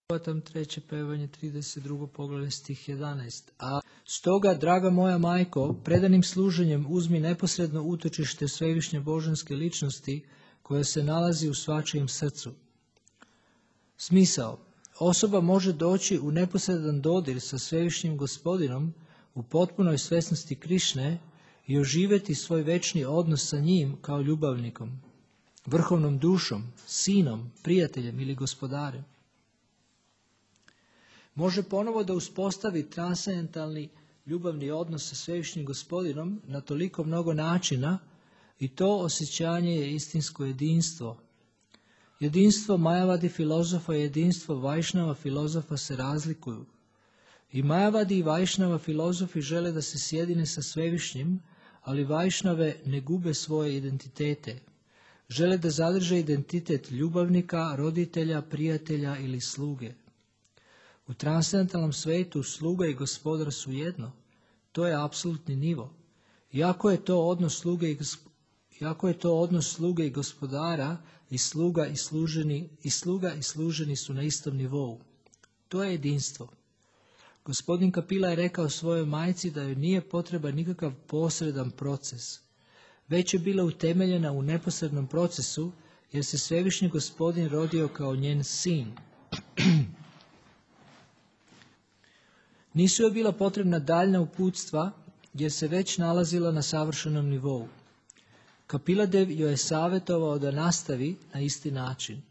Tam 3. pevanje 32. poglavlje stih 11. A stoga, draga moja majko, predanim služenjem uzmi neposredno utočište svevišnje božanske ličnosti koja se nalazi u svačijem srcu. Smisao. Osoba može doći u neposredan dodir sa svevišnjim gospodinom u potpunoj svesnosti Krišne i oživjeti svoj večni odnos sa njim kao ljubavnikom, vrhovnom dušom, sinom, prijateljem ili gospodarem. Može ponovo da uspostavi transcendentalni ljubavni odnos sa svevišnjim gospodinom na toliko mnogo načina i to osjećanje je istinsko jedinstvo. Jedinstvo Majavadi filozofa i jedinstvo Vajšnava filozofa se razlikuju. I Majavadi i Vajšnava filozofi žele da se sjedine sa svevišnjim, ali Vajšnave ne gube svoje identitete. Žele da zadrže identitet ljubavnika, roditelja, prijatelja ili sluge. U transcendentalnom svetu sluga i gospodar su jedno. To je apsolutni nivo. Iako je to odnos sluge i gospodara, i sluga i služeni su na istom nivou. To je jedinstvo. Gospodin Kapila je rekao svojoj majci da joj nije potreban nikakav posredan proces. Već je bila utemeljena u neposrednom procesu, jer se svevišnji gospodin rodio kao njen sin. Nisu joj bila potrebna daljna uputstva, jer se već nalazila na savršenom nivou. Kapiladev joj je savjetovao da nastavi na isti način.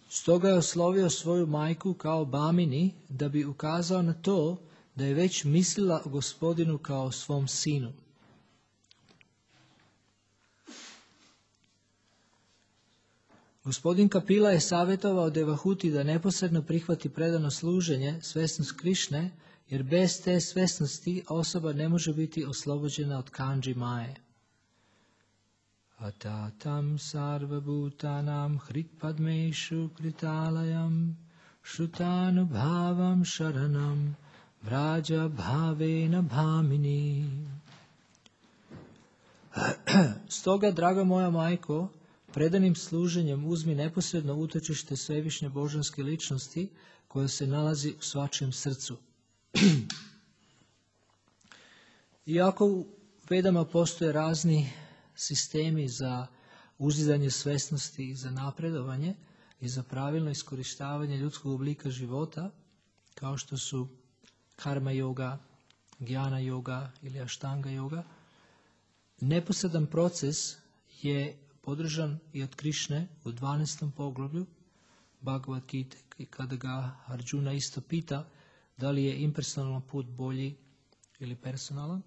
Stoga je oslovio svoju majku kao Bamini da bi ukazao na to da je već mislila o gospodinu kao svom sinu. Gospodin Kapila je savjetovao Devahuti da neposredno prihvati predano služenje, svesnost Krišne, jer bez te svesnosti osoba ne može biti oslobođena od kanđi maje. Atatam sarva bhutanam hritpadmešu kritalayam šutanu bhavam sharanam vraja bhavena bhamini. Stoga, draga moja majko, predanim služenjem uzmi neposredno utočište svevišnje božanske ličnosti koja se nalazi u svačijem srcu. Iako u Vedama postoje razni sistemi za uzidanje svesnosti i za napredovanje i za pravilno iskorištavanje ljudskog oblika života, kao što su karma yoga, gyana yoga ili ashtanga yoga, neposredan proces je podržan i od Krišne u 12. poglavlju Bhagavad Gita, i kada ga Arjuna isto pita da li je impersonalan put bolji ili personalan,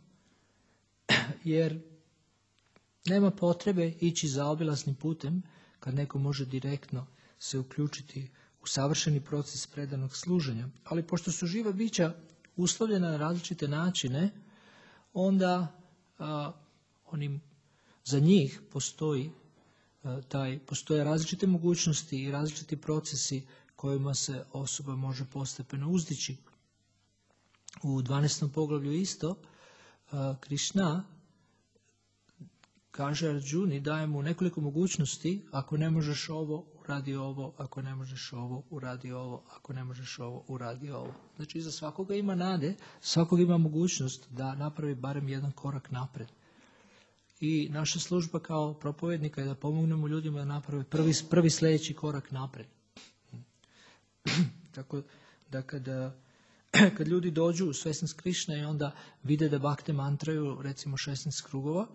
jer nema potrebe ići zaobilaznim putem kad neko može direktno se uključiti u savršeni proces predanog služenja. Ali pošto su živa bića uslovljena na različite načine, onda za njih postoje različite mogućnosti i različiti procesi kojima se osoba može postepeno uzdići. U 12. poglavlju isto Krišna kaže Arjuni, daje mu nekoliko mogućnosti: ako ne možeš ovo, uradi ovo; ako ne možeš ovo, uradi ovo; ako ne možeš ovo, uradi ovo. Znači, za svakoga ima nade, svakoga ima mogućnost da napravi barem jedan korak napred. I naša služba kao propovednika je da pomognemo ljudima da naprave prvi sljedeći korak napred. Tako da kad ljudi dođu u svesnost Krišne i onda vide da bakte mantraju recimo 16 krugova,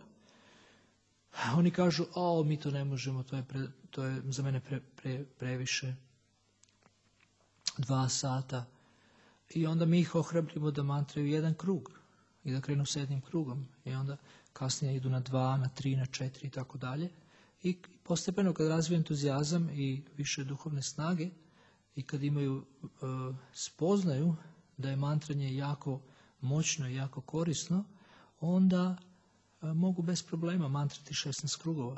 oni kažu: mi to ne možemo, to je za mene previše, 2 sata. I onda mi ih ohrabrimo da mantraju 1 krug i da krenu s 1 krugom. I onda kasnije idu na 2, na 3, na 4 i tako dalje. I postepeno kad razviju entuzijazam i više duhovne snage i kad imaju spoznaju da je mantranje jako moćno i jako korisno, onda mogu bez problema mantrati 16 krugova.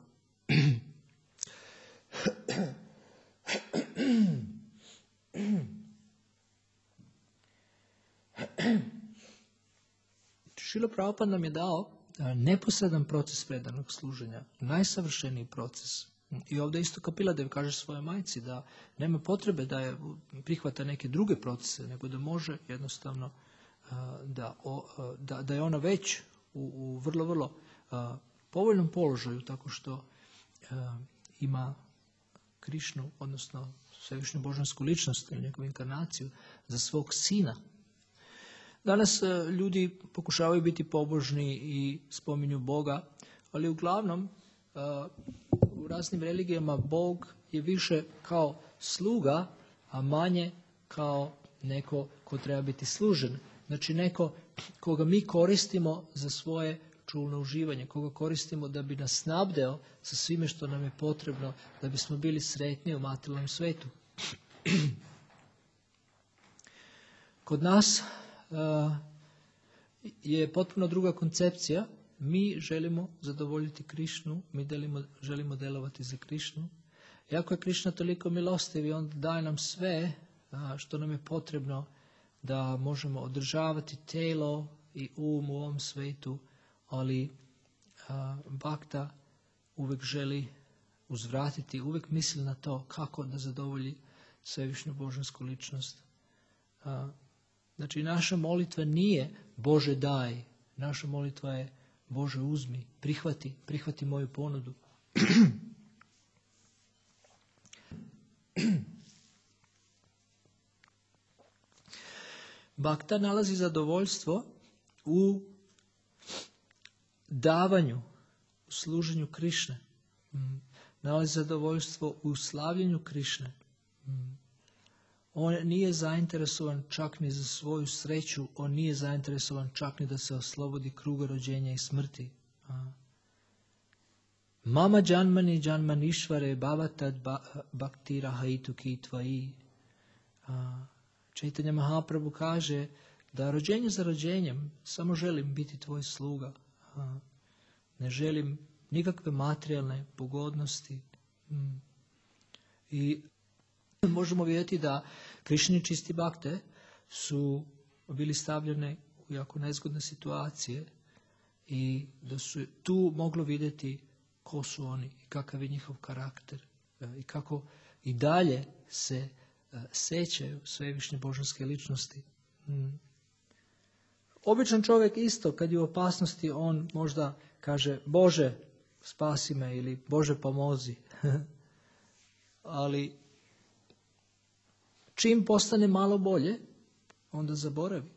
Šrila Prabhupada nam je dao neposredan proces predanog služenja, najsavršeniji proces. I ovdje isto Kapiladev kaže svojoj majci da nema potrebe da je prihvata neke druge procese, nego da može jednostavno da je ona već u vrlo, vrlo povoljnom položaju tako što ima Krišnu, odnosno svevišnju božansku ličnost ili njegovu inkarnaciju za svog sina. Danas ljudi pokušavaju biti pobožni i spominju Boga, ali uglavnom u raznim religijama Bog je više kao sluga, a manje kao neko ko treba biti služen. Znači neko koga mi koristimo za svoje čulno uživanje, koga koristimo da bi nas snabdeo sa svime što nam je potrebno da bismo bili sretni u materijalnom svetu. Kod nas je potpuno druga koncepcija. Mi želimo zadovoljiti Krišnu, mi želimo delovati za Krišnu. Iako je Krišna toliko milostiv i on daje nam sve što nam je potrebno da možemo održavati telo i um u ovom svetu, ali Bhakta uvijek želi uzvratiti, uvijek misli na to kako da zadovolji svevišnju božansku ličnost. Znači, naša molitva nije Bože daj, naša molitva je Bože uzmi, prihvati moju ponudu. Bhakta nalazi zadovoljstvo u davanju, u služenju Krišne. Nalazi zadovoljstvo u slavljenju Krišne. On nije zainteresovan čak ni za svoju sreću, on nije zainteresovan čak ni da se oslobodi kruga rođenja i smrti. Mama janmani janmanishvare bhavatad bhaktira haitu ki tvaji. Chaitanya Mahaprabhu kaže da rođenje za rođenjem samo želim biti tvoj sluga. Ne želim nikakve materijalne pogodnosti. I možemo vidjeti da Krišni čisti bakte su bili stavljene u jako nezgodne situacije i da su tu moglo vidjeti ko su oni i kakav je njihov karakter i kako i dalje se sećaju svevišnje božanske ličnosti. Običan čovjek isto, kad je u opasnosti, on možda kaže Bože, spasi me ili Bože, pomozi. Ali čim postane malo bolje, onda zaboravi.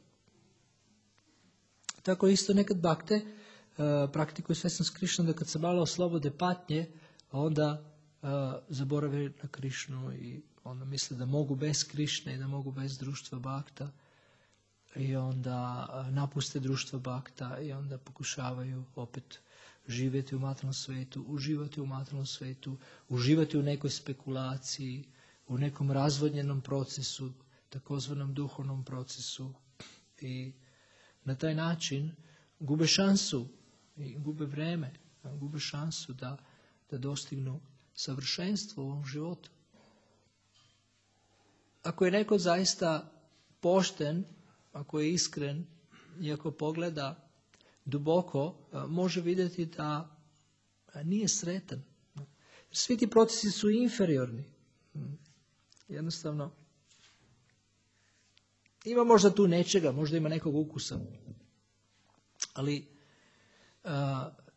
Tako isto nekad bakte praktikuju svesnost Krišnu, da kad se malo oslobode patnje, onda zaborave na Krišnu i onda misle da mogu bez Krišne i da mogu bez društva bakta. I onda napuste društvo bakta i onda pokušavaju opet živjeti u materijalnom svetu, uživati u materijalnom svetu, uživati u nekoj spekulaciji, u nekom razvodnjenom procesu, takozvanom duhovnom procesu. I na taj način gube šansu i gube vreme, gube šansu da dostignu savršenstvo u ovom životu. Ako je neko zaista pošten, ako je iskren i ako pogleda duboko, može vidjeti da nije sretan. Svi ti procesi su inferiorni. Jednostavno, ima možda tu nečega, možda ima nekog ukusa, ali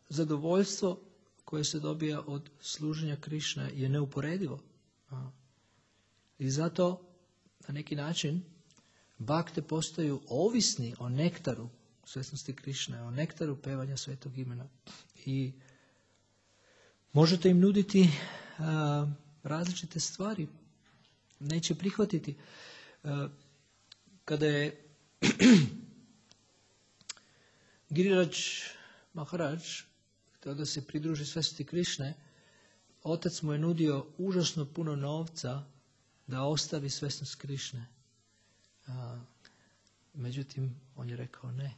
zadovoljstvo koje se dobija od služenja Krišne je neuporedivo. I zato, na neki način, bakte postaju ovisni o nektaru svesnosti Krišne, o nektaru pevanja svetog imena. I možete im nuditi različite stvari. Neće prihvatiti. Kada je Giriraj Maharaj htio da se pridruži svesnosti Krišne, otac mu je nudio užasno puno novca da ostavi svesnost Krišne. Međutim, on je rekao ne.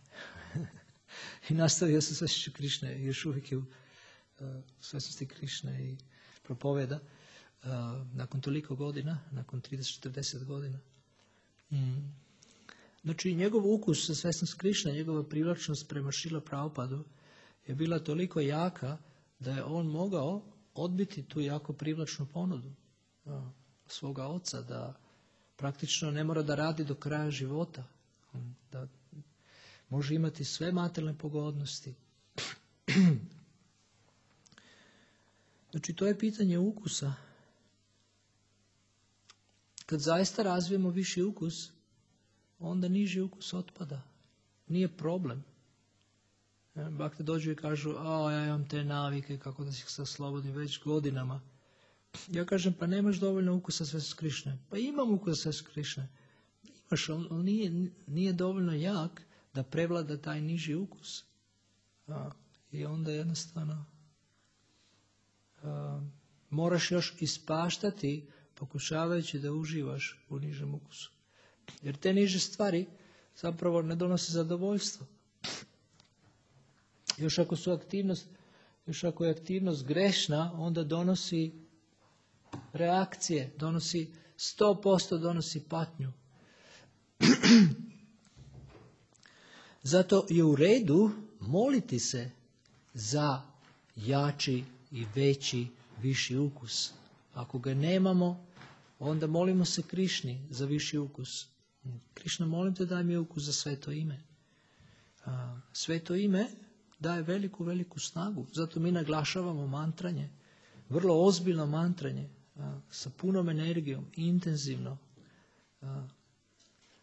I nastavio se svesnošću Krišne, još uvijek je u svesnosti Krišne i propoveda nakon toliko godina, nakon 30-40 godina. Znači, njegov ukus za svesnost Krišne, njegova privlačnost prema Šrila Prabhupadu je bila toliko jaka da je on mogao odbiti tu jako privlačnu ponudu svoga oca, da praktično ne mora da radi do kraja života, da može imati sve materijalne pogodnosti. Znači, to je pitanje ukusa. Kad zaista razvijemo viši ukus, onda niži ukus otpada. Nije problem. Bakte dođu i kažu, ja imam te navike, kako da se oslobodim već godinama. Ja kažem, pa nemaš dovoljno ukusa sve su Krišne. Pa imam ukusa sve su Krišne. Imaš, ali nije dovoljno jak da prevlada taj niži ukus. I onda jednostavno moraš još ispaštati pokušavajući da uživaš u nižem ukusu. Jer te niže stvari zapravo ne donose zadovoljstvo. Još ako je aktivnost grešna, onda donosi reakcije, 100% donosi patnju. Zato je u redu moliti se za jači i veći, viši ukus. Ako ga nemamo, onda molimo se Krišni za viši ukus. Krišna, molim te, daj mi ukus za sveto ime. Sveto ime daje veliku, veliku snagu. Zato mi naglašavamo mantranje. Vrlo ozbiljno mantranje. Sa punom energijom, intenzivno.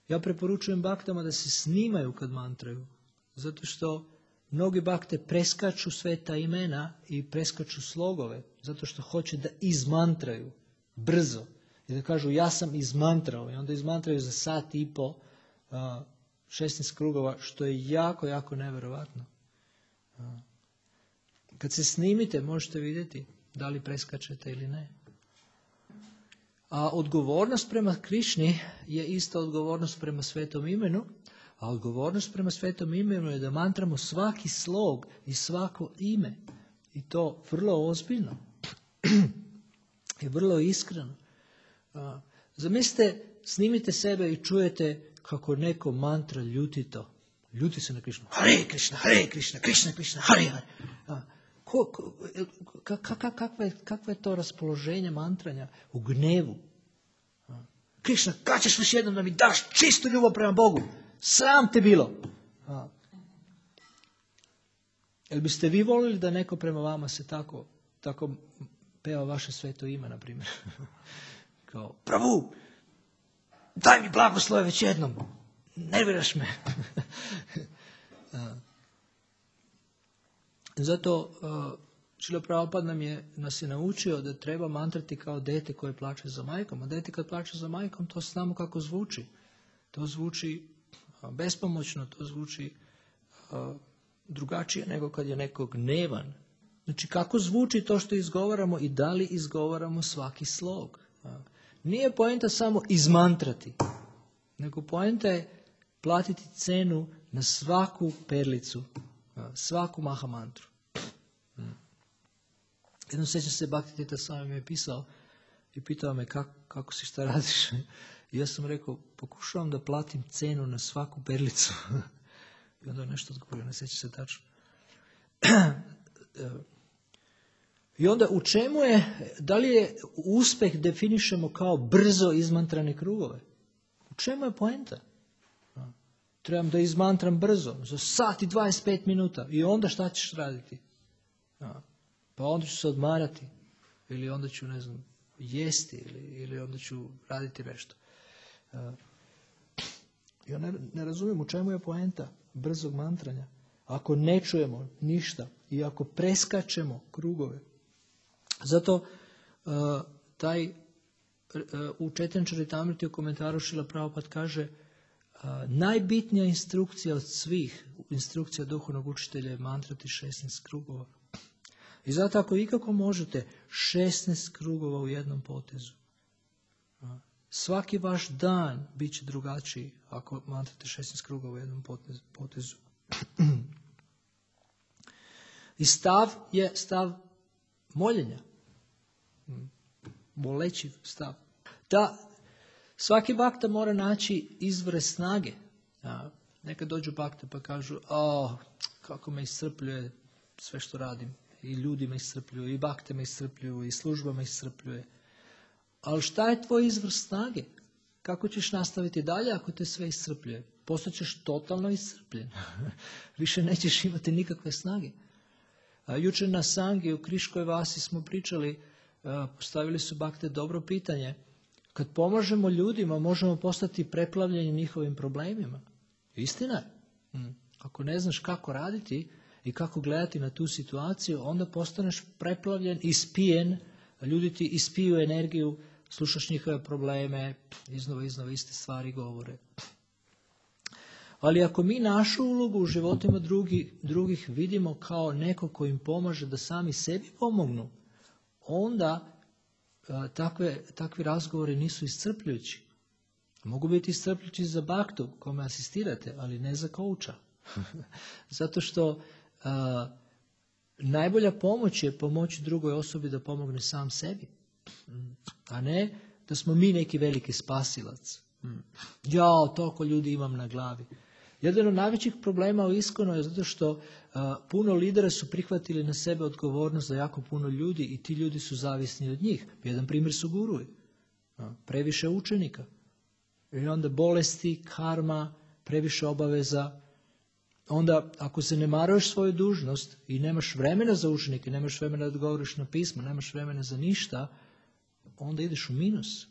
Ja preporučujem baktama da se snimaju kad mantraju. Zato što mnogi bakte preskaču sveta imena i preskaču slogove. Zato što hoće da izmantraju brzo. I da kažu, ja sam izmantrao. I onda izmantraju za 1.5 sata 16 krugova, što je jako, jako neverovatno. Kad se snimite, možete vidjeti da li preskačete ili ne. A odgovornost prema Krišni je ista odgovornost prema svetom imenu, a odgovornost prema svetom imenu je da mantramo svaki slog i svako ime. I to vrlo ozbiljno i vrlo iskreno. Zamislite, snimite sebe i čujete kako neko mantra ljutito. Ljuti se na Krišnu. Hare Krišna, Hare Krišna, Krišna, Krišna, Hare Hare. Kakvo je to raspoloženje mantranja u gnevu? Krišna, kad ćeš još jednom da mi daš čistu ljubav prema Bogu? Sram te bilo. Jel biste vi volili da neko prema vama se tako peva vaše sveto ime, na primjer? Kao, Pravu, daj mi blagoslove već jednom. Nerviraš me. Zato Šrila Prabhupada nas je naučio da treba mantrati kao dete koje plače za majkom. A dete kad plače za majkom, to znamo kako zvuči. To zvuči bespomoćno, to zvuči drugačije nego kad je neko gnevan. Znači, kako zvuči to što izgovaramo i da li izgovaramo svaki slog. Nije poenta samo izmantrati, nego poenta je platiti cenu na svaku perlicu, svaku mahamantru. Jednom sećam se, Bhakti Tita Swami mi je pisao i pitao me kako si, šta radiš. I ja sam rekao, pokušavam da platim cenu na svaku perlicu. I onda je nešto odgovorio, ne sećam se tačno. I onda u čemu je, da li je uspeh definišemo kao brzo izmantrane krugove? U čemu je poenta? Trebam da izmantram brzo, za 1:25 minuta. I onda šta ćeš raditi? Pa onda ću se odmarati. Ili onda ću, ne znam, jesti. Ili onda ću raditi nešto. Ja ne razumijem u čemu je poenta brzog mantranja. Ako ne čujemo ništa i ako preskačemo krugove. Zato u Chaitanya Charitamriti u komentaru Šrila Prabhupada kaže najbitnija instrukcija od svih instrukcija duhovnog učitelja je mantrati 16 krugova. I zato ako ikako možete 16 krugova u jednom potezu. Svaki vaš dan bit će drugačiji ako mantrate 16 krugova u jednom potezu. I stav je stav moljenja. Moleći stav. Da svaki bakta mora naći izvore snage. Nekad dođu bakte pa kažu, kako me iscrpljuje sve što radim. I ljudi me iscrpljuju, i bakte me iscrpljuju, i služba me iscrpljuje. Ali šta je tvoj izvor snage? Kako ćeš nastaviti dalje ako te sve iscrpljuje? Postaćeš totalno iscrpljen. Više nećeš imati nikakve snage. Jučer na Sangi u Kriškoj Vasi smo pričali, postavili su bakte dobro pitanje. Kad pomažemo ljudima, možemo postati preplavljeni njihovim problemima. Istina je. Ako ne znaš kako raditi i kako gledati na tu situaciju, onda postaneš preplavljen, ispijen, ljudi ti ispiju energiju, slušaš njihove probleme, iznova iste stvari govore. Ali ako mi našu ulogu u životima drugih vidimo kao neko ko im pomaže da sami sebi pomognu, onda takvi razgovori nisu iscrpljujući. Mogu biti iscrpljujući za baktu kome asistirate, ali ne za kouča. Zato što najbolja pomoć je pomoći drugoj osobi da pomogne sam sebi. A ne da smo mi neki veliki spasilac. Ja, toliko ljudi imam na glavi. Jedan od najvećih problema u Iskonu je zato što puno lidera su prihvatili na sebe odgovornost za jako puno ljudi i ti ljudi su zavisni od njih. Jedan primjer su guruji. Previše učenika. I onda bolesti, karma, previše obaveza. Onda ako se ne maruješ svoju dužnost i nemaš vremena za učenike, nemaš vremena da odgovoriš na pismo, nemaš vremena za ništa, onda ideš u minus.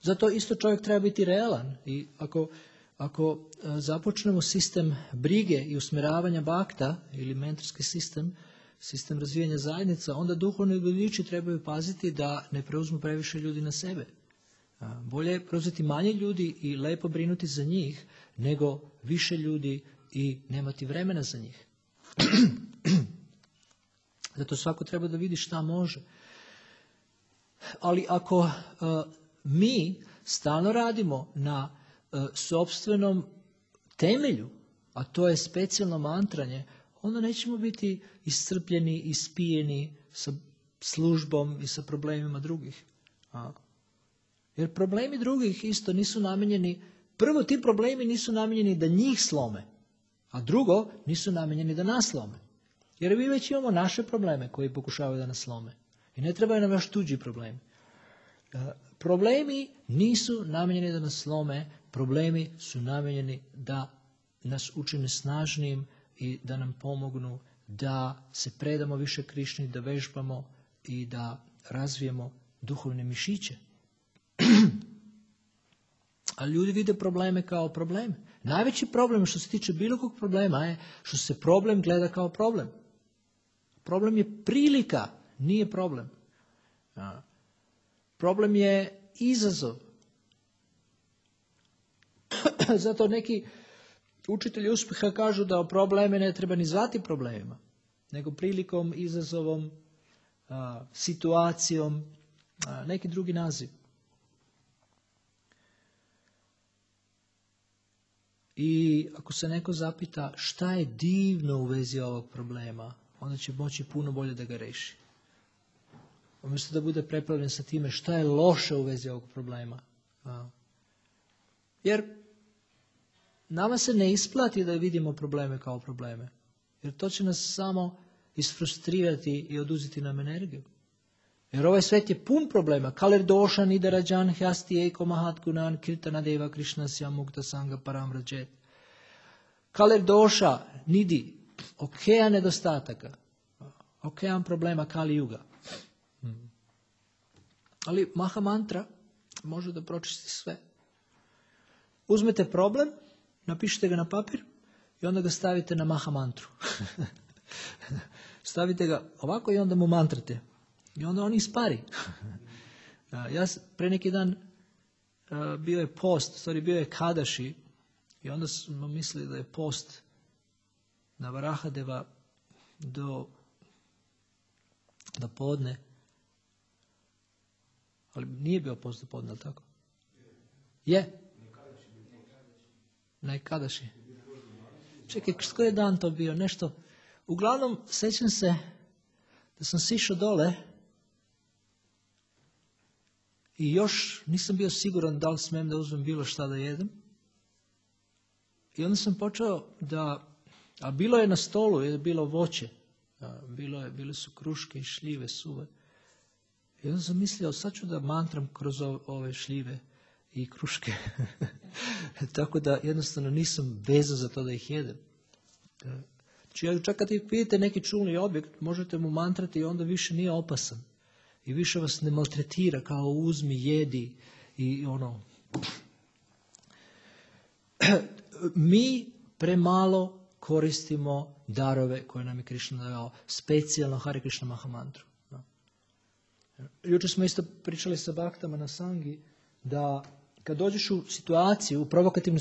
Zato isto čovjek treba biti realan i ako započnemo sistem brige i usmjeravanja bakta ili mentorski sistem razvijanja zajednica, onda duhovni vodiči trebaju paziti da ne preuzmu previše ljudi na sebe. Bolje je preuzeti manje ljudi i lepo brinuti za njih, nego više ljudi i nemati vremena za njih. Zato svako treba da vidi šta može. Ali ako mi stalno radimo na sopstvenom temelju, a to je specijalno mantranje, onda nećemo biti iscrpljeni, ispijeni sa službom i sa problemima drugih. Jer problemi drugih isto nisu namijenjeni, prvo ti problemi nisu namijenjeni da njih slome, a drugo nisu namijenjeni da nas slome. Jer mi već imamo naše probleme koji pokušavaju da nas slome. I ne trebaju nam još tuđi problemi. Problemi nisu namijenjeni da nas slome, problemi su namijenjeni da nas učine snažnijim i da nam pomognu da se predamo više Krišni, da vežbamo i da razvijemo duhovne mišiće. A ljudi vide probleme kao probleme. Najveći problem što se tiče bilo kog problema je što se problem gleda kao problem. Problem je prilika, nije problem. Problem je izazov. Zato neki učitelji uspjeha kažu da probleme ne treba ni zvati problemima, nego prilikom, izazovom, situacijom, neki drugi naziv. I ako se neko zapita šta je divno u vezi ovog problema, onda će moći puno bolje da ga reši. Umjesto da bude preplavljen sa time šta je loše u vezi ovog problema. Jer nama se ne isplati da vidimo probleme kao probleme. Jer to će nas samo isfrustrirati i oduzeti nam energiju. Jer ovaj svet je pun problema. Kaler došan, idarađan, hjasti eko mahat gunan, kirtana deva krišna sjamukta sanga paramrađet. Kaler doša, nidi, okean nedostataka, okean problema Kali Juga. Ali Maha mantra može da pročisti sve. Uzmete problem, napišite ga na papir i onda ga stavite na Maha mantru. Stavite ga ovako i onda mu mantrate. I onda on ispari. Ja pre neki dan bio je post, bio je Kadaši i onda smo mislili da je post na Varahadeva do podne. Ali nije bio post do podne, ali tako? Je? Na Kadaši. Čekaj, koji je dan to bio? Nešto. Uglavnom, sećam se da sam sišao dole i još nisam bio siguran da li smijem da uzmem bilo šta da jedem. I onda sam počeo da A bilo je na stolu, je bilo voće. Bile su kruške i šljive suve. I onda sam mislio, sad ću da mantram kroz ove šljive i kruške. Tako da jednostavno nisam vezan za to da ih jedem. Znači, čak kad vidite neki čulni objekt, možete mu mantrati i onda više nije opasan. I više vas ne maltretira kao uzmi, jedi i ono. Mi premalo koristimo darove koje nam je Krišna dao, specijalno Hare Krishna Mahamantru. Jučer smo isto pričali sa Bhaktama na Sangi da kad dođeš u situaciju, u provokativnu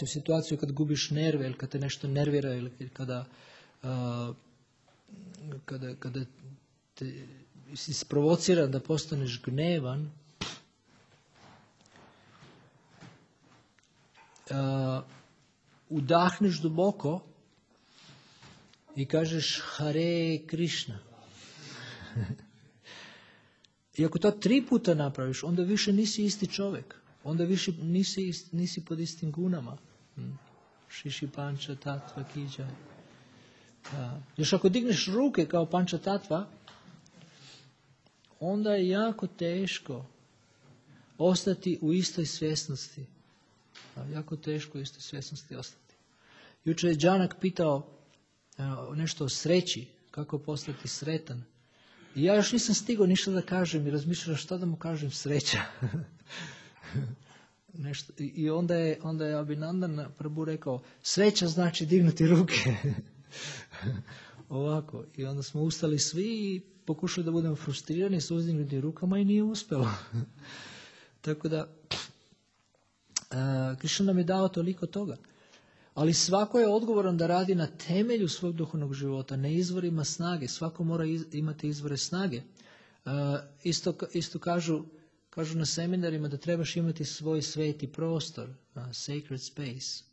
situaciju kad gubiš nerve ili kad te nešto nervira ili kada te si sprovociran da postaneš gnevan, udahneš duboko i kažeš Hare Krishna. I ako to 3 puta napraviš, onda više nisi isti čovjek. Onda više nisi pod istim gunama. Šiši panča tatva kiđa. Još ako digneš ruke kao panča tatva, onda je jako teško ostati u istoj svjesnosti. Jako teško u istoj svjesnosti ostati. Jučer je Džanak pitao nešto o sreći, kako postati sretan. I ja još nisam stigao ništa da kažem i razmišljam šta da mu kažem sreća. Nešto. I onda je Abhinandan Prabhu rekao, sreća znači dignuti ruke. Ovako. I onda smo ustali svi i pokušali da budemo frustrirani s uzdignutim rukama i nije uspjelo. Tako da, Krišna nam je dao toliko toga. Ali svako je odgovoran da radi na temelju svog duhovnog života, ne izvorima snage. Svako mora imati izvore snage. Isto kažu na seminarima da trebaš imati svoj sveti prostor, sacred space.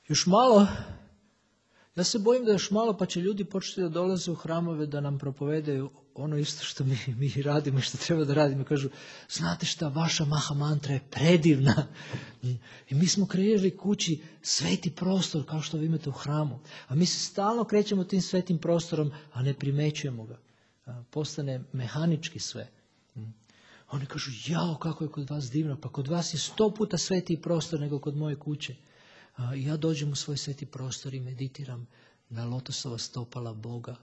Još malo, ja se bojim da još malo pa će ljudi početi da dolaze u hramove da nam propovedaju ono isto što mi radimo i što treba da radimo. Kažu, znate šta, vaša Mahamantra je predivna. I mi smo kreirali kući sveti prostor kao što vi imate u hramu. A mi se stalno krećemo tim svetim prostorom, a ne primećujemo ga. Postane mehanički sve. Oni kažu, jao, kako je kod vas divno. Pa kod vas je 100 puta svetiji prostor nego kod moje kuće. I ja dođem u svoj sveti prostor i meditiram na lotosova stopala Boga.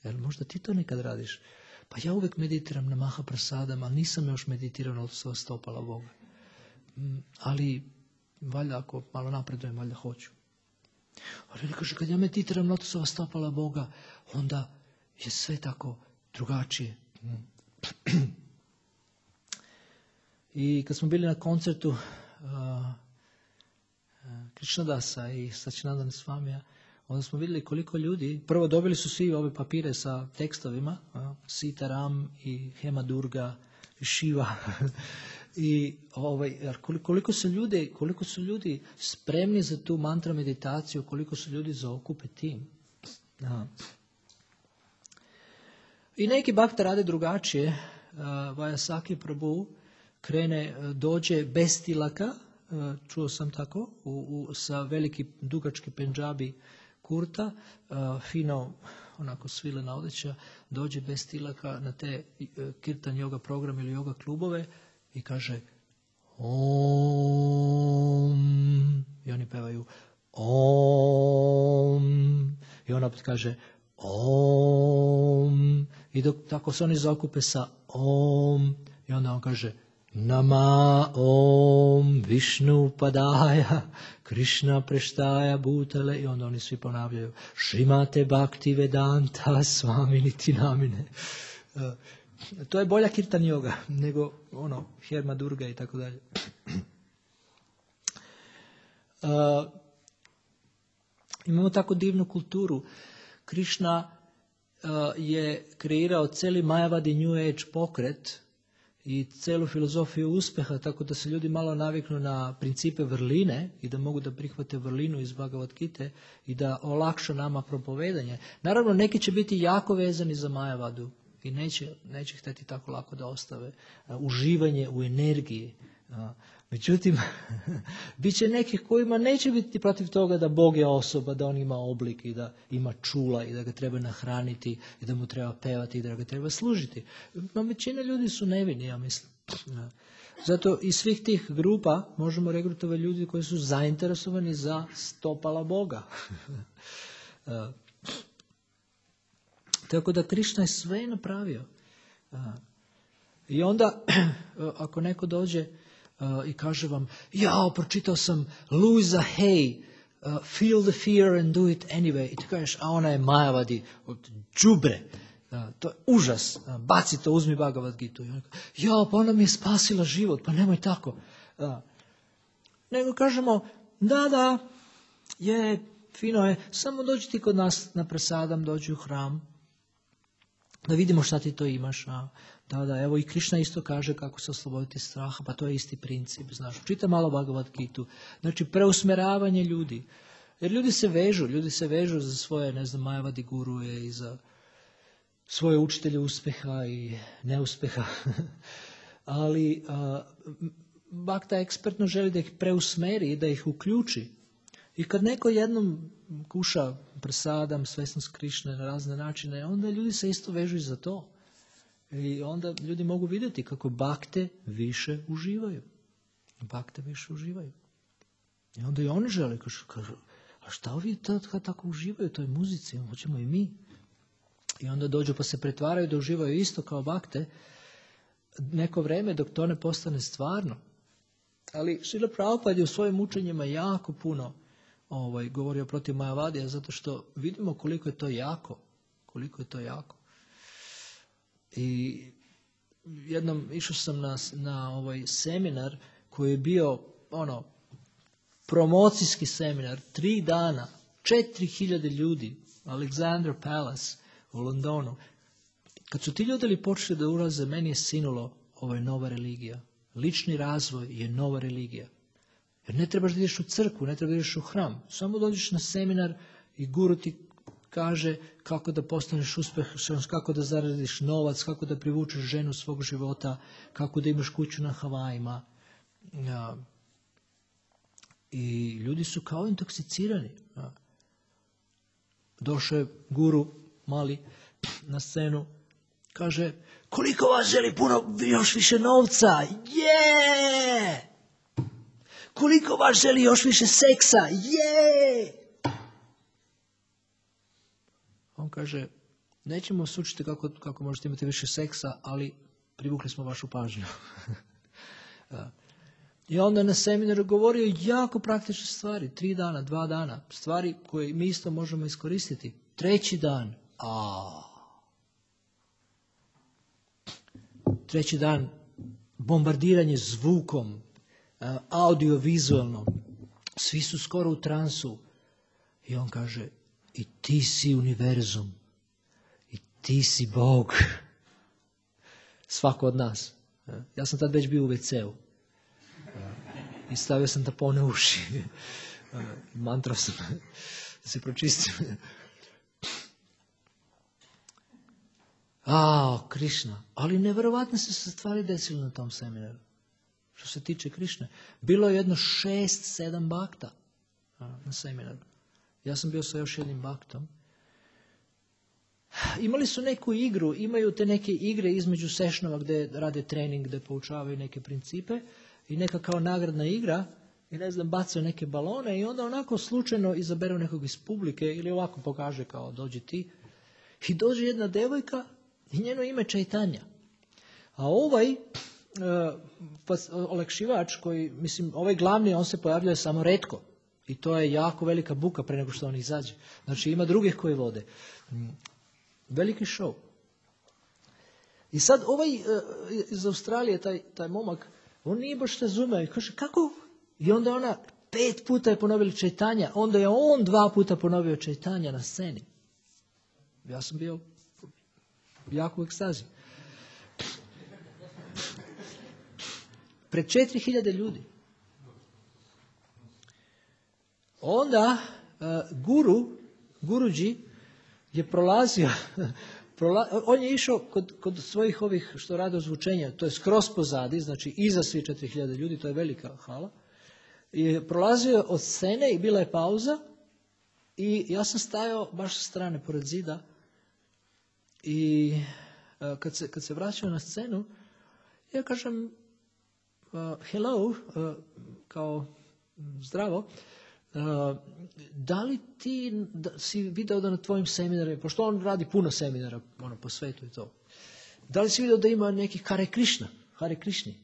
Jel možda ti to nekad radiš? Pa ja uvijek meditiram na Mahaprasadama, ali nisam još meditirao na lotosova stopala Boga. Ali, valjda ako malo napredujem, valjda hoću. Ali oni kažu, kad ja meditiram na lotosova stopala Boga, onda je sve tako drugačije. I kad smo bili na koncertu Krishnadasa i Sačinandana Svamija, onda smo vidjeli koliko ljudi, prvo dobili su svi ove papire sa tekstovima, Sita Ram i Hema Durga i Shiva. I koliko su ljudi spremni za tu mantra meditaciju, koliko su ljudi zaokupe tim. I neki bhakta rade drugačije. Vajasaki Prabhu dođe bez tilaka, čuo sam tako, sa veliki dugački pendžabi kurta, fino onako svilena odjeća, dođe bez tilaka na te kirtan yoga program ili yoga klubove i kaže Om, i oni pevaju Om, i on opet kaže Om, i dok tako se oni zaokupe sa Om, i onda on kaže Nama Om Višnu Padaja Krishna Preštaja Bhutale, i onda oni svi ponavljaju Šrimate Bhakti Vedanta Swami Niti Namine. To je bolja kirtan yoga nego Herma Durga i tako dalje. Imamo tako divnu kulturu. Krishna je kreirao cijeli Mayavadi New Age pokret i celu filozofiju uspjeha, tako da se ljudi malo naviknu na principe vrline i da mogu da prihvate vrlinu iz Bhagavad Gite i da olakša nama propovedanje. Naravno, neki će biti jako vezani za Mayavadu i neće htjeti tako lako da ostave uživanje u energiji. Međutim, bit će nekih kojima neće biti protiv toga da Bog je osoba, da on ima oblik i da ima čula i da ga treba nahraniti i da mu treba pevati i da ga treba služiti. No, većina ljudi su nevini, ja mislim. Zato iz svih tih grupa možemo regrutovati ljudi koji su zainteresovani za stopala Boga. Tako da Krišna je sve napravio. I onda, ako neko dođe i kaže vam, pročitao sam Louisa Hay, Feel the fear and do it anyway. I ti kažeš, a ona je Majavadi, đubre. To je užas. Baci to, uzmi Bhagavad Gitu. Pa ona mi je spasila život, pa nemoj tako. Nego kažemo, da, je, fino je, samo dođi ti kod nas na prasadam, dođi u hram, da vidimo šta ti to imaš. Da, evo i Krišna isto kaže kako se osloboditi straha, pa to je isti princip, znaš. Čita malo Bhagavad Gitu. Znači, preusmeravanje ljudi. Jer ljudi se vežu za svoje, Majavadi guruje i za svoje učitelje uspeha i neuspeha. Ali Bhakta ekspertno želi da ih preusmeri i da ih uključi. I kad neko jednom kuša prasadam, svesnost Krišne na razne načine, onda ljudi se isto vežu i za to. I onda ljudi mogu vidjeti kako bakte više uživaju. I onda i oni žele, kažu, a šta ovi tako uživaju u toj muzici, hoćemo i mi. I onda dođu pa se pretvaraju da uživaju isto kao bakte neko vreme dok to ne postane stvarno. Ali Srila Prabhupada je u svojim učenjima jako puno govorio protiv Majavadija, zato što vidimo koliko je to jako. I jednom išao sam na seminar koji je bio promocijski seminar, 3 dana, 4000 ljudi, Alexandra Palace u Londonu. Kad su ti ljudi počeli da ulaze, meni je sinulo, ovo je nova religija. Lični razvoj je nova religija. Jer ne trebaš da ideš u crkvu, ne trebaš da ideš u hram. Samo dođeš na seminar i guru ti kaže kako da postaneš uspešan, kako da zaradiš novac, kako da privučeš ženu svog života, kako da imaš kuću na Havajima. I ljudi su kao intoksicirani. Došao je guru mali na scenu, kaže, koliko vas želi još više novca? Koliko vas želi još više seksa? On kaže, nećemo vas učiti kako možete imati više seksa, ali privukli smo vašu pažnju. I onda na seminaru govorio jako praktične stvari, 3 dana, 2 dana, stvari koje mi isto možemo iskoristiti. 3. dan, treći dan, bombardiranje zvukom, audiovizualno, svi su skoro u transu. I on kaže, i ti si univerzum, i ti si Bog. Svako od nas. Ja sam tad već bio u WC-u. I stavio sam tampone u uši. Mantrao sam da se pročistim. Krišna. Ali nevjerovatno se stvari desile na tom seminaru. Što se tiče Krišne. Bilo je jedno 6-7 bakta na seminaru. Ja sam bio sa još jednim baktom. Imali su neku igru, imaju te neke igre između sešnova gdje rade trening, gdje poučavaju neke principe i neka kao nagradna igra i bacaju neke balone i onda onako slučajno izaberu nekog iz publike ili ovako pokaže kao dođi ti. I dođe jedna devojka i njeno ime Čajtanja. A ovaj olakšivač koji, ovaj glavni, on se pojavljuje samo retko. I to je jako velika buka pre nego što on izađe. Znači ima drugih koji vode. Veliki show. I sad ovaj iz Australije, taj momak, on nije baš razumeo i kaže, kako? I onda ona 5 puta je ponovila Čajtanja, onda je on 2 puta ponovio Čajtanja na sceni. Ja sam bio jako u ekstazi. Pred 4000 ljudi. Onda guruđi je prolazio On je išao kod svojih ovih što rade ozvučenja, to je skroz pozadi, znači iza svi 4000 ljudi, to je velika hala. I prolazio od scene i bila je pauza i ja sam stajao baš sa strane pored zida i kad se vraćao na scenu, ja kažem hello, kao zdravo, da li ti si video da na tvojim seminarima, pošto on radi puno seminara po svetu i to, da li si video da ima neki Hare Krišni?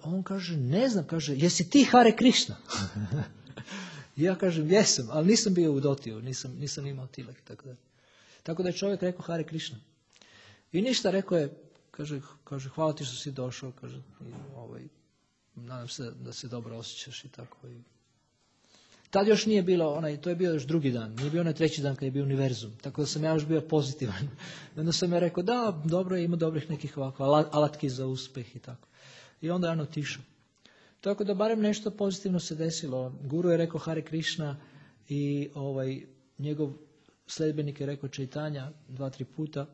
On kaže, ne znam, kaže, jesi ti Hare Krišna? Ja kažem, jesam, ali nisam bio u dotiju, nisam imao tilak i tako da. Tako da je čovjek rekao Hare Krišna. I ništa, rekao je, kaže hvala ti što si došao, kaže, nadam se da se dobro osjećaš i tako. Tad još nije bilo, to je bio još drugi dan, nije bio onaj treći dan kad je bio univerzum, tako da sam ja još bio pozitivan. Onda sam ja rekao, da, dobro, ima dobrih nekih ovako alatki za uspjeh i tako. I onda je on otišao. Tako da barem nešto pozitivno se desilo. Guru je rekao Hare Krišna i njegov sledbenik je rekao Čaitanja 2-3 puta,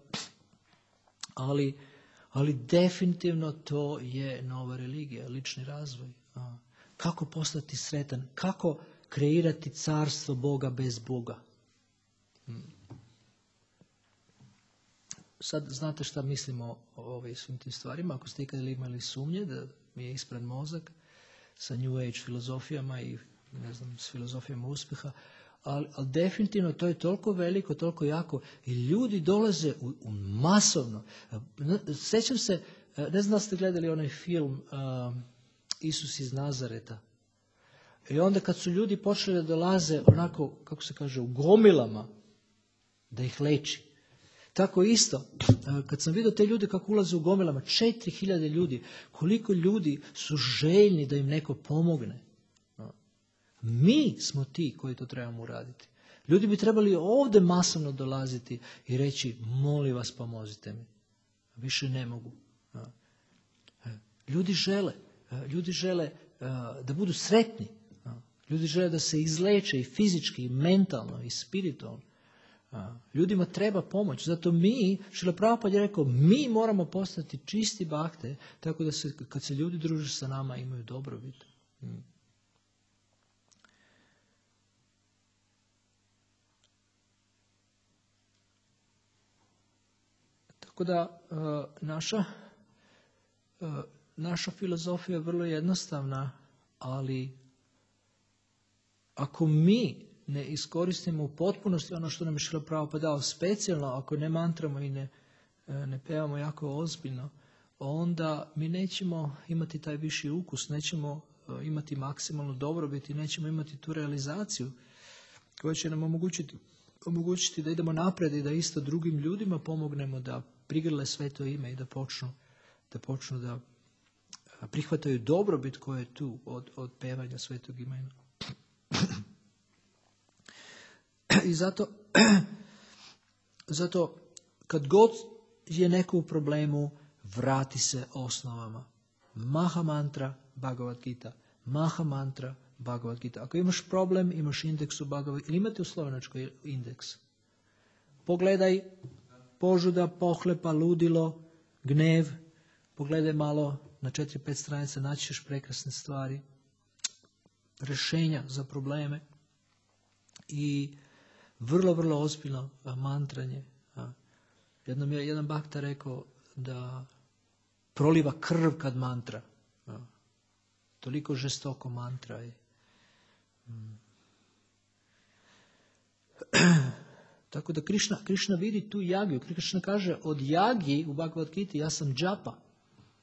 ali definitivno to je nova religija, lični razvoj. Kako postati sretan? Kako kreirati carstvo Boga bez Boga? Sad znate šta mislimo o svim tim stvarima. Ako ste ikada imali sumnje da mi je ispran mozak sa New Age filozofijama i ne znam, s filozofijama uspjeha, ali definitivno to je toliko veliko, toliko jako i ljudi dolaze u masovno. Sjećam se, ne znam da ste gledali onaj film Isus iz Nazareta. I onda kad su ljudi počeli da dolaze onako, kako se kaže, u gomilama, da ih leči. Tako isto, kad sam vidio te ljude kako ulaze u gomilama, 4000 ljudi, koliko ljudi su željni da im neko pomogne. Mi smo ti koji to trebamo uraditi. Ljudi bi trebali ovdje masovno dolaziti i reći, molim vas pomozite mi. Više ne mogu. Ljudi žele da budu sretni. Ljudi žele da se izleče i fizički, i mentalno, i spiritualno. Ljudima treba pomoć. Zato mi, Šrila Prabhupada je rekao, mi moramo postati čisti bakte, tako da kad se ljudi druže sa nama imaju dobrobit. Tako da naša filozofija je vrlo jednostavna, ali ako mi ne iskoristimo u potpunosti ono što nam je Šrila Prabhupada dao, specijalno ako ne mantramo i ne pevamo jako ozbiljno, onda mi nećemo imati taj viši ukus, nećemo imati maksimalnu dobrobit i nećemo imati tu realizaciju koja će nam omogućiti da idemo napred i da isto drugim ljudima pomognemo da prigrle sveto ime i da počnu da prihvataju dobrobit koja je tu od pevanja svetog imena. I zato kad god je neko u problemu, vrati se osnovama. Maha mantra, Bhagavad Gita. Maha mantra, Bhagavad Gita. Ako imaš problem, imaš indeks u Bhagavad Gita. Ili imate u slovenačkoj indeks? Pogledaj požuda, pohlepa, ludilo, gnev. Pogledaj malo na 4-5 stranica, naći ćeš prekrasne stvari. Rješenja za probleme. I vrlo, vrlo ozbiljno mantranje. Jednom je jedan bhakta rekao da proliva krv kad mantra. Toliko žestoko mantra je. Tako da Krišna vidi tu jagiju. Krišna kaže od jagi u Bhagavad Gita ja sam džapa.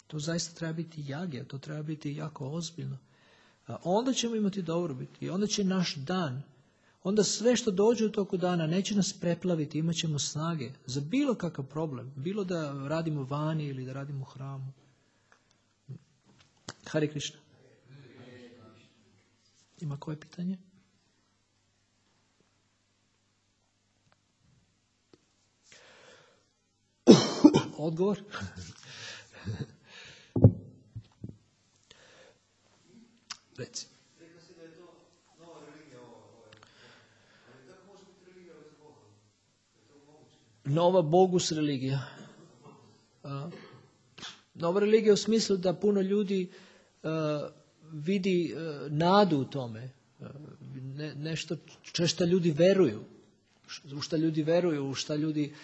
To zaista treba biti jagija. To treba biti jako ozbiljno. Onda ćemo imati dobrobit. I onda će naš dan, onda sve što dođe u toku dana neće nas preplaviti, imat ćemo snage za bilo kakav problem. Bilo da radimo vani ili da radimo u hramu. Hare Krišna. Ima koje pitanje? Odgovor? Reci. Rekla si da je to nova religija ali kako može biti religija bez Boga? nova bogus religija. Nova religija u smislu da puno ljudi vidi nadu u tome. Nešto što ljudi veruju. U šta ljudi veruju, u šta ljudi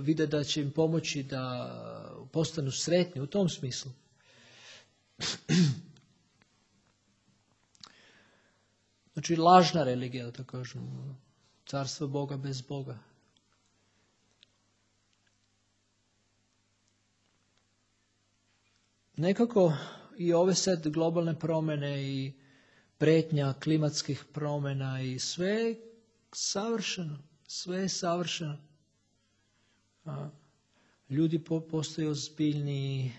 vide da će im pomoći da postanu sretni u tom smislu. Znači lažna religija, da tako kažem. Carstvo Boga bez Boga. Nekako i ove sad globalne promjene i prijetnja klimatskih promjena i sve je savršeno. Sve je savršeno. Ljudi postaju ozbiljniji.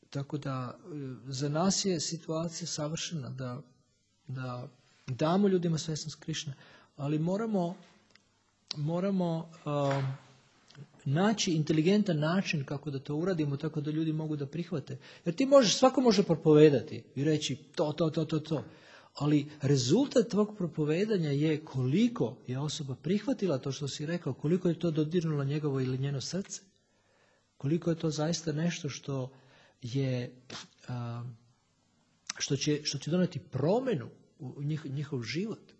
Tako da za nas je situacija savršena da damo ljudima svjesnost Krišne, ali moramo naći inteligentan način kako da to uradimo tako da ljudi mogu da prihvate. Jer svako može propovedati i reći to. Ali rezultat tvog propovedanja je koliko je osoba prihvatila to što si rekao, koliko je to dodirnulo njegovo ili njeno srce, koliko je to zaista nešto što će doneti promjenu u njihov život.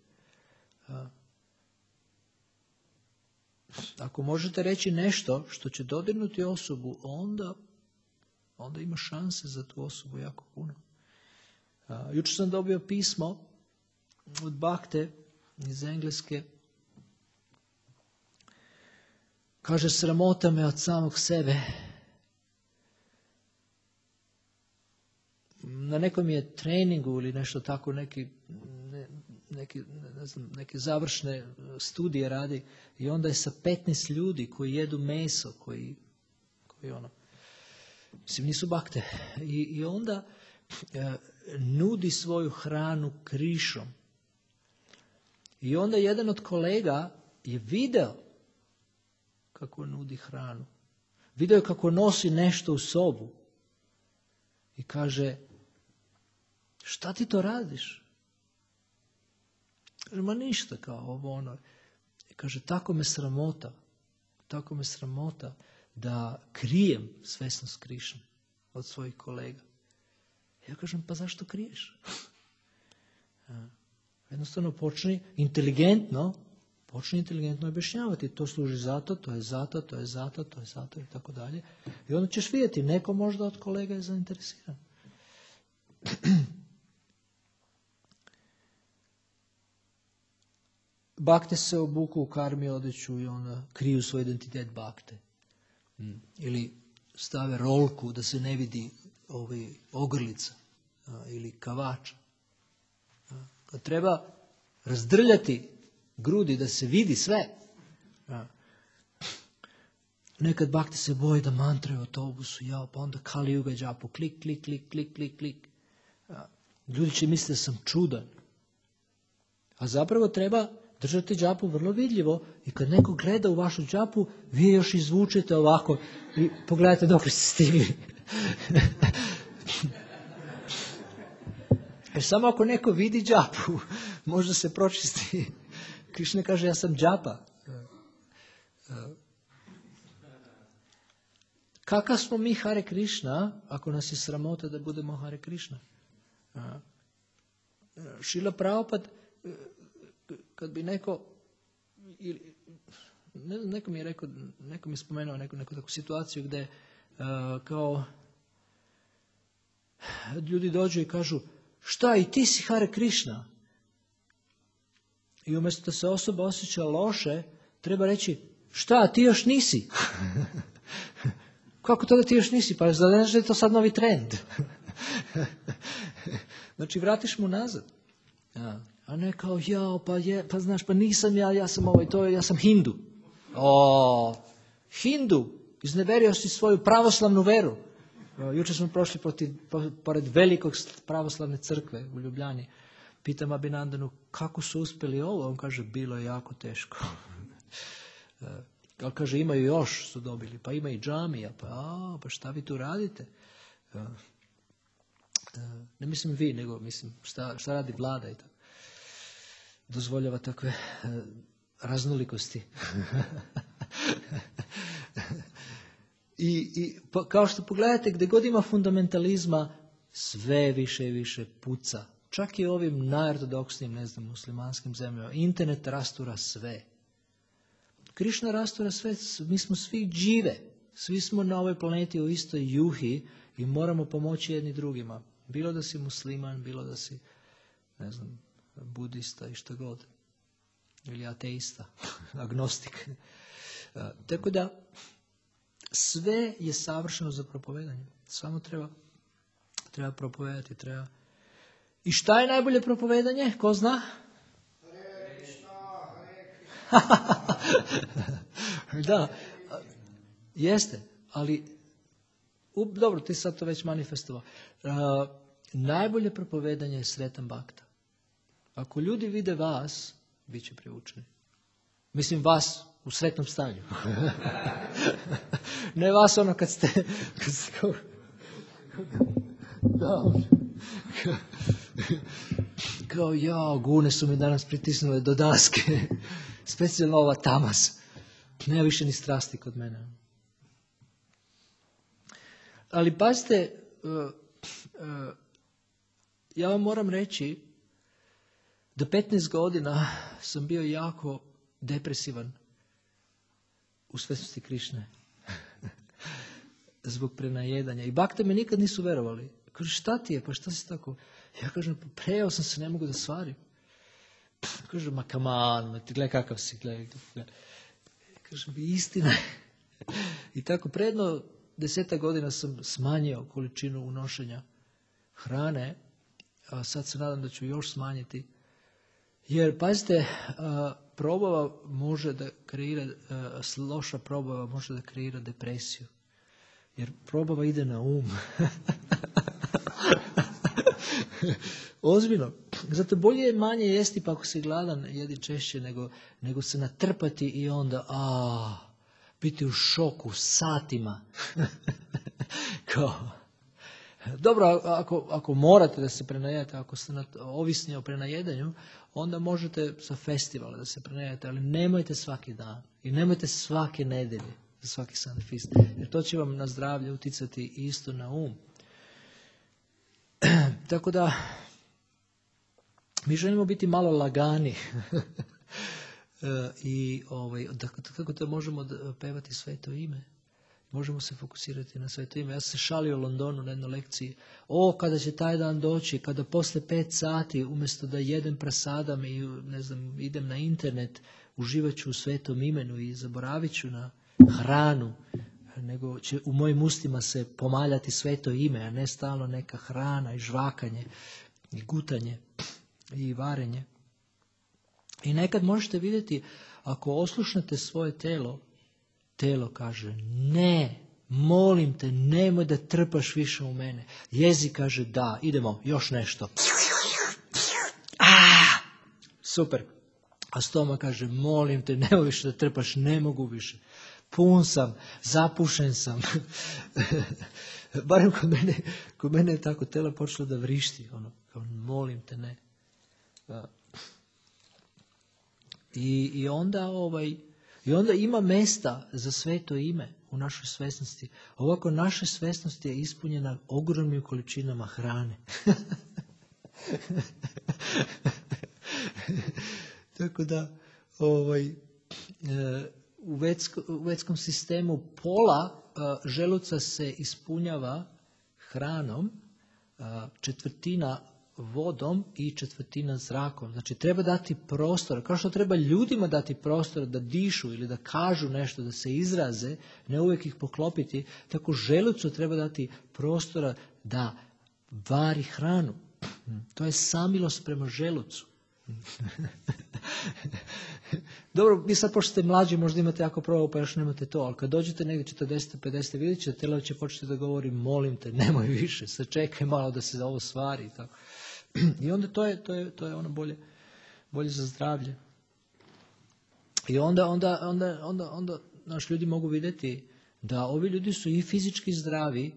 Ako možete reći nešto što će dodirnuti osobu, onda ima šanse za tu osobu jako puno. Jučer sam dobio pismo od Bakte iz Engleske. Kaže, sramota me od samog sebe. Na nekom je treningu ili nešto tako, neke završne studije radi i onda je sa 15 ljudi koji jedu meso, koji mislim, nisu bakte. I onda nudi svoju hranu Krišom. I onda jedan od kolega je video kako nudi hranu. Video je kako nosi nešto u sobu. I kaže, šta ti to radiš? Kaže, ma ništa, kao ovo ono. I kaže, tako me sramota da krijem svjesnost Krišne od svojih kolega. Ja kažem, pa zašto kriješ? Jednostavno počni inteligentno objašnjavati. To služi zato, to je zato i tako dalje. I onda ćeš vidjeti, neko možda od kolega je zainteresiran. Bakte se obuku u karmi odjeću i onda kriju svoj identitet bakte. Ili stave rolku da se ne vidi ogrlica ili kavača. Kad treba razdrljati grudi da se vidi sve. Nekad bakte se boje da mantraju u autobusu, pa onda Kali Yuga džapu, klik. Ljudi će misliti da sam čudan. A zapravo treba držati džapu vrlo vidljivo i kad neko gleda u vašu džapu, vi još izvučete ovako i pogledajte dok ste stigli. Jer samo ako neko vidi džapu, možda se pročisti. Krišna kaže, ja sam džapa. Kakav smo mi Hare Krišna, ako nas je sramota da budemo Hare Krišna? Šrila Prabhupada, kad bi neko mi je spomenuo neku takvu situaciju gdje kao ljudi dođu i kažu, šta, i ti si Hare Krišna? I umjesto da se osoba osjeća loše, treba reći, šta, ti još nisi? Kako to da ti još nisi? Pa znaš da je to sad novi trend. Znači, vratiš mu nazad. A ne kao, pa znaš, pa nisam ja sam ja sam Hindu. Hindu, izneverio si svoju pravoslavnu veru. Jučer smo prošli pored velikog pravoslavne crkve u Ljubljani. Pitam Abhinandanu, kako su uspjeli ovo? On kaže, bilo je jako teško. Ali kaže, imaju još, su dobili. Pa ima i džamija. Pa šta vi tu radite? Ne mislim vi, nego mislim šta radi vlada i tako. Dozvoljava takve raznolikosti. I kao što pogledate, gdje god ima fundamentalizma, sve više i više puca. Čak i ovim najortodoksnim, muslimanskim zemljama. Internet rastura sve. Krišna rastura sve, mi smo svi džive. Svi smo na ovoj planeti u istoj juhi i moramo pomoći jedni drugima. Bilo da si musliman, bilo da si, budista i što god. Ili ateista, agnostik. Tako da, sve je savršeno za propovedanje. Samo treba propovedati. I šta je najbolje propovedanje? Ko zna? Da, jeste, ali dobro, ti sad to već manifestovao. Najbolje propovedanje je sretan bakta. Ako ljudi vide vas, bit će privučeni. Mislim vas u sretnom stanju. Ne vas ono kad ste kao gune su mi danas pritisnule do daske. Specijalno ova tamas. Nema više ni strasti kod mene. Ali pazite, ja vam moram reći da 15 godina sam bio jako depresivan u svesnosti Krišne. Zbog prenajedanja. I bakte me nikad nisu verovali. Kaže, šta ti je? Pa šta si tako? Ja kažem, prejao sam se, ne mogu da svarim. Kaže, ma come on, ti gledaj kakav si, gledaj. Kažem, istina je. I tako predno 10 godina sam smanjio količinu unošenja hrane, a sad se nadam da ću još smanjiti. Jer, pazite, probava može da kreira, loša probava može da kreira depresiju. Jer probava ide na um. Ozbiljno. Zato bolje je manje jesti pa ako si gladan jedi češće nego se natrpati i onda biti u šoku satima. Dobro, ako morate da se prenajedete, ako ste ovisni o prenajedanju, onda možete sa festivala da se prenajedete, ali nemojte svaki dan i nemojte svake nedelje, za svaki Sunday feast, jer to će vam na zdravlje uticati isto na um. Tako da, mi želimo biti malo lagani i kako to možemo pevati sveto ime. Možemo se fokusirati na sveto ime. Ja sam se šalio u Londonu na jednoj lekciji. Kada će taj dan doći, kada posle 5 sati, umjesto da jedem prasadam i idem na internet, uživat ću u svetom imenu i zaboravit ću na hranu, nego će u mojim ustima se pomaljati sveto ime, a ne stalno neka hrana i žvakanje i gutanje i varenje. I nekad možete vidjeti, ako oslušnete svoje telo kaže, ne, molim te, nemoj da trpaš više u mene. Jezik kaže, da, idemo, još nešto. Super. A stoma kaže, molim te, nemoj više da trpaš, ne mogu više. Pun sam, zapušen sam. Barem kod mene je tako telo počelo da vrišti. Kao, molim te, ne. I onda ima mesta za sveto ime u našoj svesnosti. Ovako naša svesnost je ispunjena ogromnim količinama hrane. Tako da u vetskom sistemu pola želuca se ispunjava hranom, 1/4 vodom i 1/4 zrakom. Znači treba dati prostor, kao što treba ljudima dati prostor da dišu ili da kažu nešto, da se izraze, ne uvijek ih poklopiti, tako želucu treba dati prostora da vari hranu. To je samilost prema želucu. Dobro, vi sad pošto ste mlađi, možda imate jako probavu pa još nemate to, ali kad dođete negdje 40-50, vidjet ćete, telo će početi da govori, molim te, nemoj više, sačekaj malo da se ovo stvari i tako. I onda to je ono bolje za zdravlje. I onda naši ljudi mogu vidjeti da ovi ljudi su i fizički zdravi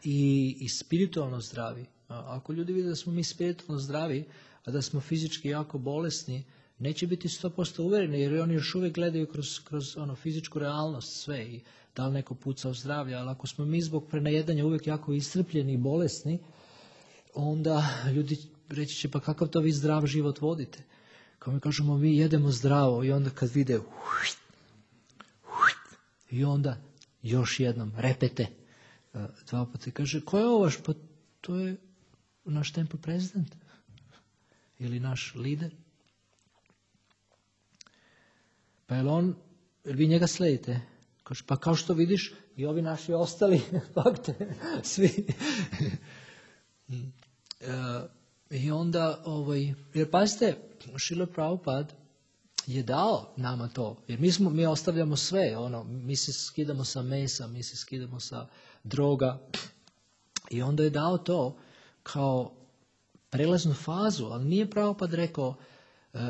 i spiritualno zdravi. Ako ljudi vide da smo mi spiritualno zdravi, a da smo fizički jako bolesni, neće biti 100% uvjereni, jer oni još uvijek gledaju kroz fizičku realnost sve i da li neko puca u zdravlje. Ali ako smo mi zbog prenajedanja uvijek jako iscrpljeni i bolesni, onda ljudi reći će, pa kakav to vi zdrav život vodite? Kao mi kažemo, mi jedemo zdravo i onda kad vide i onda još jednom repete 2 puta. Kaže, ko je ovo vaš? Pa to je naš temple prezident ili naš lider. Pa jel vi njega sledite? Kaže, pa kao što vidiš i ovi naši ostali fakte, svi. I onda, jer pazite, Šrila Prabhupada je dao nama to, jer mi ostavljamo sve, mi se skidamo sa mesa, mi se skidamo sa droga i onda je dao to kao prelaznu fazu, ali nije Prabhupada rekao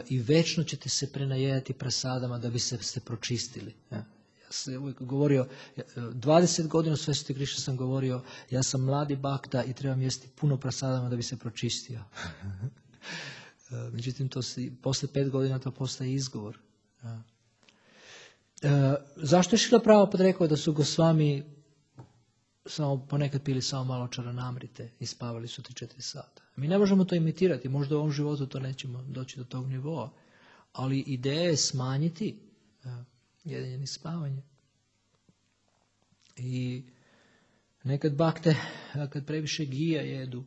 i večno ćete se prenajedati prasadama da bi se pročistili. Ja sam uvijek govorio, 20 godina u Sveti Krišna sam govorio, ja sam mladi bakta i trebam jesti puno prasadama da bi se pročistio. Međutim, posle 5 godina to postaje izgovor. Zašto je Šrila Prabhupada rekao da su Gosvami samo ponekad pili samo malo čaranamrite i spavali su 3-4 sata? Mi ne možemo to imitirati, možda u ovom životu to nećemo doći do tog nivoa, ali ideja je smanjiti jedenje i spavanje. I nekad bakte, kad previše gija jedu,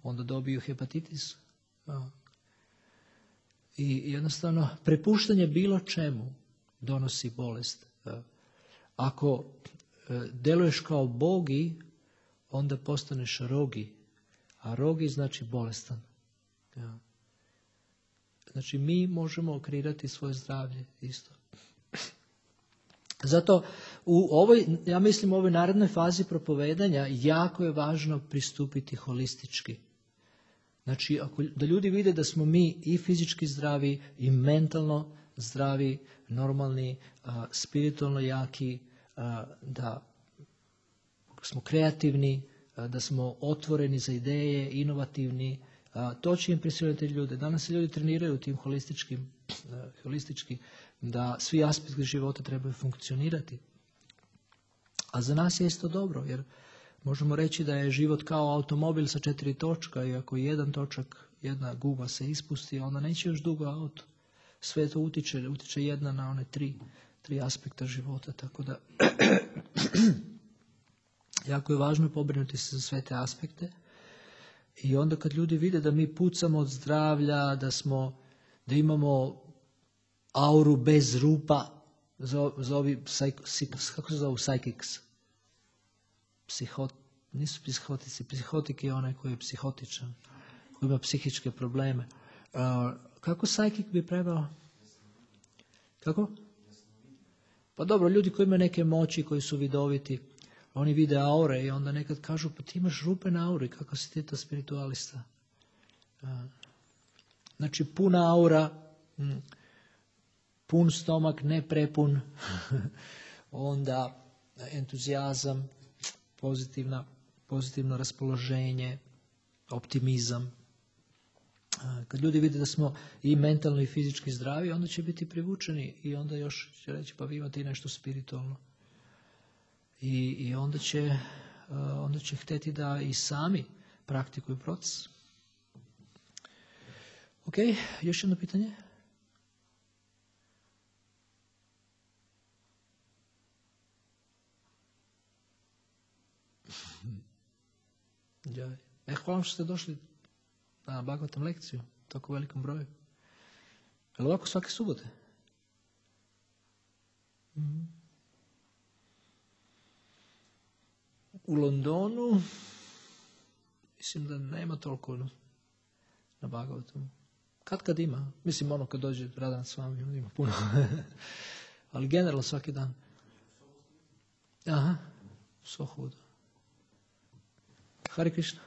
onda dobiju hepatitis. I jednostavno, prepuštanje bilo čemu donosi bolest. Ako deluješ kao bogi, onda postaneš rogi. A rogi znači bolestan. Znači, mi možemo kreirati svoje zdravlje isto. Zato ja mislim u ovoj narednoj fazi propovedanja jako je važno pristupiti holistički. Znači, da ljudi vide da smo mi i fizički zdravi, i mentalno zdravi, normalni, spiritualno jaki, da smo kreativni, da smo otvoreni za ideje, inovativni, to će impresionirati ljude. Danas se ljudi treniraju tim holistički, da svi aspekti života trebaju funkcionirati. A za nas je isto dobro, jer možemo reći da je život kao automobil sa 4 točka i ako jedan točak, jedna guma se ispusti, onda neće još dugo auto. Sve to utiče jedna na one tri aspekta života, tako da jako je važno pobrinuti se za sve te aspekte. I onda kad ljudi vide da mi pucamo od zdravlja, da imamo auru bez rupa, kako se zovu psychics? Nisu psihotici, psihotik je onaj koji je psihotičan, koji ima psihičke probleme. Kako psychic bi preveo? Kako? Pa dobro, ljudi koji imaju neke moći, koji su vidoviti, oni vide aure i onda nekad kažu, pa ti imaš rupe na auri, kako si ti to spiritualista? Znači, puna aura, pun stomak, ne prepun, onda entuzijazam, pozitivno raspoloženje, optimizam. Kad ljudi vide da smo i mentalno i fizički zdravi, onda će biti privučeni i onda još će reći, pa vi imate i nešto spiritualno. I onda će hteti da i sami praktikuju proces. Ok, još jedno pitanje? Hvala vam što ste došli na Bhagavatam lekciju, tako velikom broju. Je li ovako svake subote? U Londonu mislim da nema toliko na Bhagavatamu. Kad ima? Mislim kad dođe Radhanath Swami, ima puno. Ali generalno svaki dan. Aha, Sohuda. Hare Krishna.